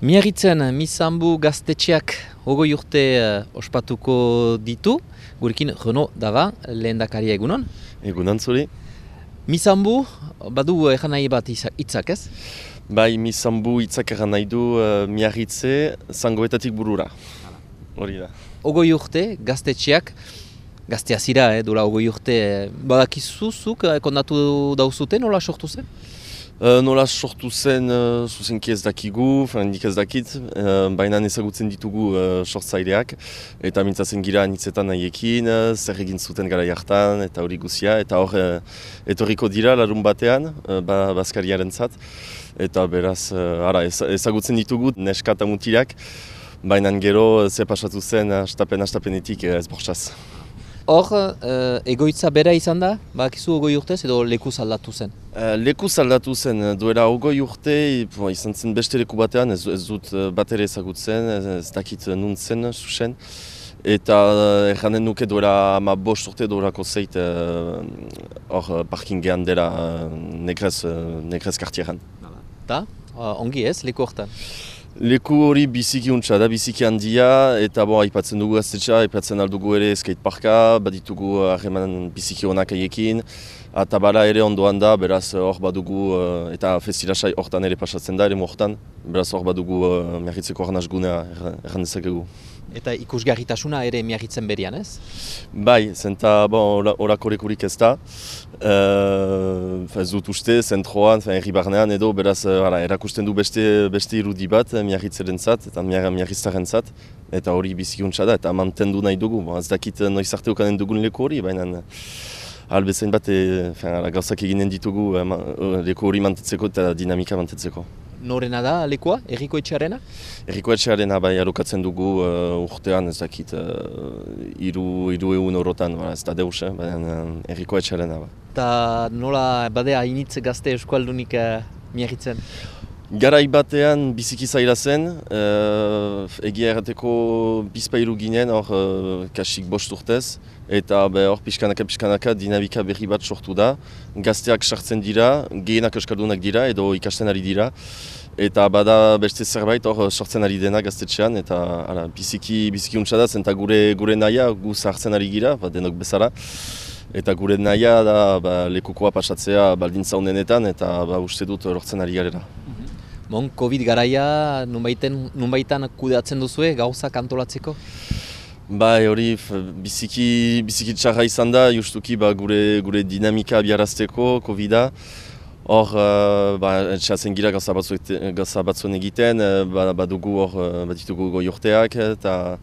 Miarritzen, Mizanbu gaztetxeak 20 urte ospatuko ditu, gurekin Renaud Dava, lehendakaria egunon. Egunon zuri. Mizanbu, badu egan nahi bat hitzak ez? Bai, Mizanbu hitzak egan nahi du Miarritze zangoetatik burura. Hori da. 20 urte gaztetxeak, gaztea zira, dola 20 urte, badakizuzuk kondatu dauzute, nola sortu zen? Nola sortu zen zuzenki ez dakigu, nik ez dakit, baina ezagutzen ditugu sortzaileak, eta mintzatzen gira anitzetan nahiekin, zer egin zuten gara jartan, eta hori guzia, eta hor etorriko dira larun batean, Baskariaren zat, eta beraz ezagutzen ditugu neska eta mutilak, baina gero ze pasatu zen hastapenetik ez bortxaz. Hor, egoitza bera izan da, bakizu 20 urtez edo lekuz aldatu zen? Lekuz aldatu zen, duela 20 urte, izan zen beste leku batean, ez dut bat ere ezagutzen, ez dakit nun zen, zuzen. Eta erranen nuke duela 15 urte duelako zeit hor parkingean dela Negrez kartieran. Eta, ongi ez, leku hortan? Leku hori biziki untsa da, biziki handia, eta aipatzen dugu gaztetxa, aipatzen aldugu ere skateparka, baditugu harreman biziki onak haiekin, eta bala ere ondoan da, beraz hor badugu, eta festilasai hortan ere pasatzen da, ere hortan, beraz hor badugu Miarritzeko arnazgunea erran dezakegu. Eta ikusgarritasuna ere Miarritzen berian ez? Bai, zenta horako lekurik ez da. Ez dut uste, zentroan, herri barnean edo, beraz erakusten du beste irudi bat Miarritzaren zat, eta Miarritzaren zat, eta hori bizikuntza da, eta mantendu nahi dugu. Ez dakit noiz arte ukanen dugun leku hori, baina albezain bat gauzak eginen ditugu leku hori mantetzeko eta dinamika mantetzeko. Norena da lekua, Herriko Etxearena? Herriko Etxearena bai alokatzen dugu urtean, ez dakit, 300 eurotan, ez da deus, baina Herriko Etxearena. Eta nola badea initz gazte eskualdunik Miarritzen? Garai batean biziki zaila zen, egia errateko bizpailu ginen hor kasik 5 urtez, eta hor pixkanaka dinamika berri bat sortu da. Gazteak sartzen dira, gehienak euskaldunak dira edo ikasten ari dira, eta bada beste zerbait hor sortzen ari dena gaztetxean, eta biziki untsa da zen, eta gure nahia gu zahartzen ari gira, denok bezala. Eta gure nahia da lekukoa pasatzea baldintza honenetan, eta uste dut lortzen ari garela. Covid garaia nunbaitan kudeatzen duzue gauzak antolatzeko? Bai, hori biziki txarra izan da, justuki gure dinamika abiarazteko Covid-a. Hor, etxeatzen gira gauza batzuen egiten, baditugu goi urteak, eta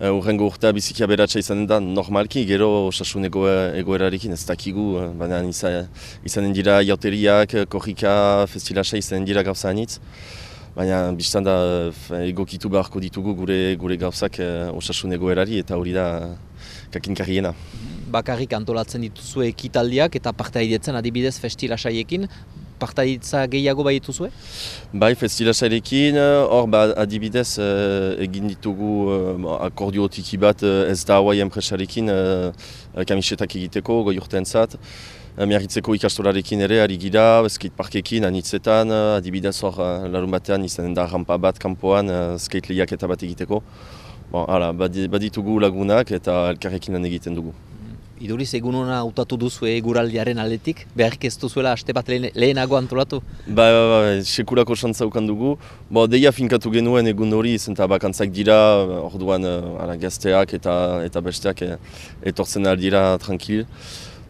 urrengo urtea biziki aberatsa izanen da normalki, gero osasun egoerarekin ez dakigu, baina izanen dira jauteriak, korrika, festilasa izanen dira gauza anitz. Baina biztan da egokitu beharko ditugu gure gauzak osasun egoerari eta hori da kakinkarriena. Bakarrik antolatzen dituzue ekitaldiak eta partaidetzen adibidez festilasaiekin, partaidetza gehiago bai dituzue? Bai, festilasairekin, hor adibidez egin ditugu akordio tiki bat ez da hauai enpresarekin kamisetak egiteko goi urteentzat. Miarritzeko ikastolarekin ere ari gira, skateparkekin anitzetan, adibidez hor larun batean izanen da rampa bat kanpoan skate lehiaketa bat egiteko. Baditugu lagunak eta elkarrekin lan egiten dugu. Iduriz egun hona hautatu duzu eguraldiaren aldetik, beharrik ez duzuela aste bat lehenago antolatu? Bai, sekulako xantza ukan dugu. Deia finkatu genuen egun hori, zenta bakantzak dira, orduan gazteak eta besteak etortzen aldira tranquil.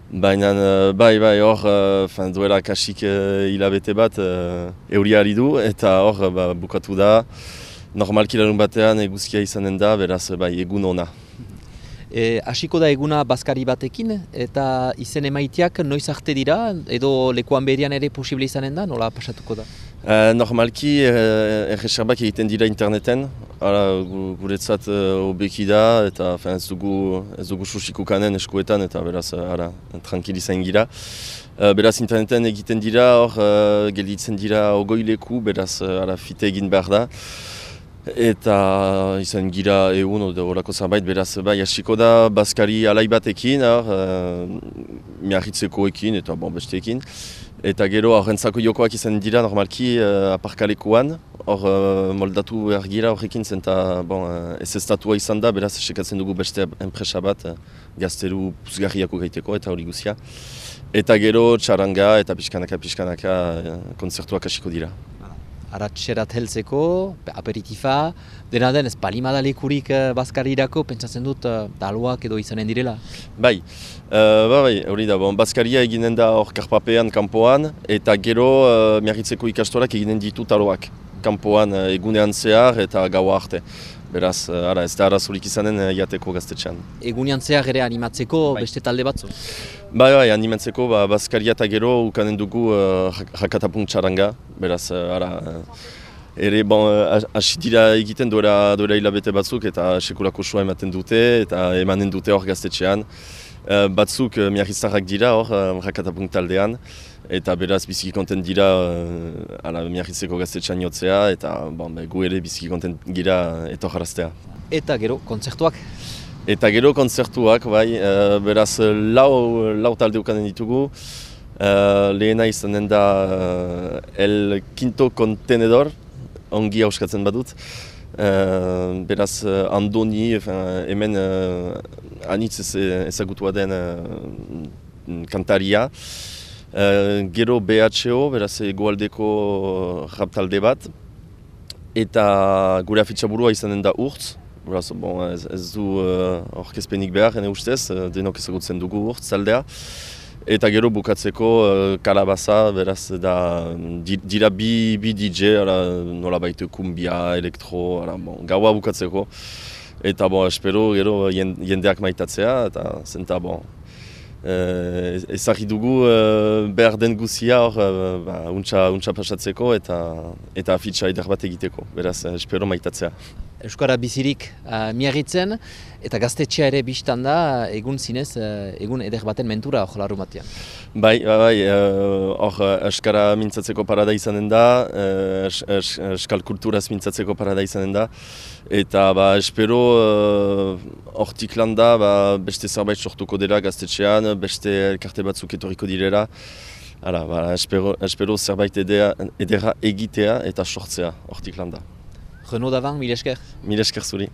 Baina, bai, hor, duela kasik hilabete bat euria ari du, eta hor bukatu da. Normalki larun batean eguzkia izanen da, beraz, egun ona. Hasiko da eguna Baskari batekin, eta izen emaiteak noiz arte dira, edo lekuan berian ere posible izanen da, nola pasatuko da? Normalki erreserbak egiten dira interneten, guretzat hobeki da, eta ez dugu susikukanen eskuetan, eta beraz tranquil izan gira. Beraz interneten egiten dira, hor gelditzen dira 20 leku, beraz fite egin behar da. Eta izan gira egun horako zerbait, beraz hasiko da Baskari alai batekin, Miarritzekoekin eta besteekin. Eta gero horrentzako jokoak izan dira normalki aparkalekuan, hor moldatu behar gira horrekin zen eta ez estatua izan da, beraz sekatzen dugu beste enpresa bat gazteru puzgarriako gaiteko eta hori guzia. Eta gero txaranga eta pixkanaka kontzertuak hasiko dira. Aratxerat heltzeko, aperitifa, dena den ez palimada lekurik Baskarirako, pentsatzen dut taloak edo izanen direla? Bai, hori da, Baskaria eginen da hor karpapean, kanpoan, eta gero miarritzeko ikastorak eginen ditu taloak. Kanpoan egunean zehar eta gaua arte. Beraz, ez da arazorik izanen jateko gaztetxean. Egunean zehar ere animatzeko beste talde batzu? Bai, animatzeko Baskaria eta gero ukanen dugu jakatapunk txaranga. Beraz, ere hasi dira egiten duela hilabete batzuk eta sekulako sua ematen dute eta emanen dute hor gaztetxean. Batzuk miarriztarrak dira hor jakatapunk taldean. Eta beraz biziki kontent dira miarritzeko gaztetxean jotzea eta gu ere biziki kontent gira etorraraztea. Eta gero kontzertuak? Eta gero kontzertuak, bai, beraz lau talde ukanen ditugu. Lehena izanen da El Quinto Contenedor, ongi hauskatzen badut. Beraz Andoni, hemen anitz ezagutua den kantaria. Gero BHO, beraz egoaldeko rap talde bat. Eta gure afitxaburua izanen da Urtz. Beraz, ez du orkezpenik behar, ene ustez, denok ezagutzen dugu Urtz taldea. Eta gero bukatzeko Kalabaza, beraz, dira bi DJ, nola baita kumbia, elektro, gaua bukatzeko. Eta espero gero jendeak maitatzea, eta zenta ezagri dugu behar den guzia hor untxa pasatzeko eta afitxa eder bat egiteko, beraz espero maitatzea. Euskara bizirik miarritzen eta gaztetxea ere biztan da egun zinez, egun eder baten mentura hor larru batean. Bai, hor euskara mintzatzeko parada izanen da, euskal kulturaz mintzatzeko parada izanen da. Eta espero hortik landa beste zerbait sortuko dela gaztetxean, beste elkarte batzuk etorriko direla. Espero zerbait edera egitea eta sortzea hortik landa. Renaud Davant, mil esker. Mil esker zuri.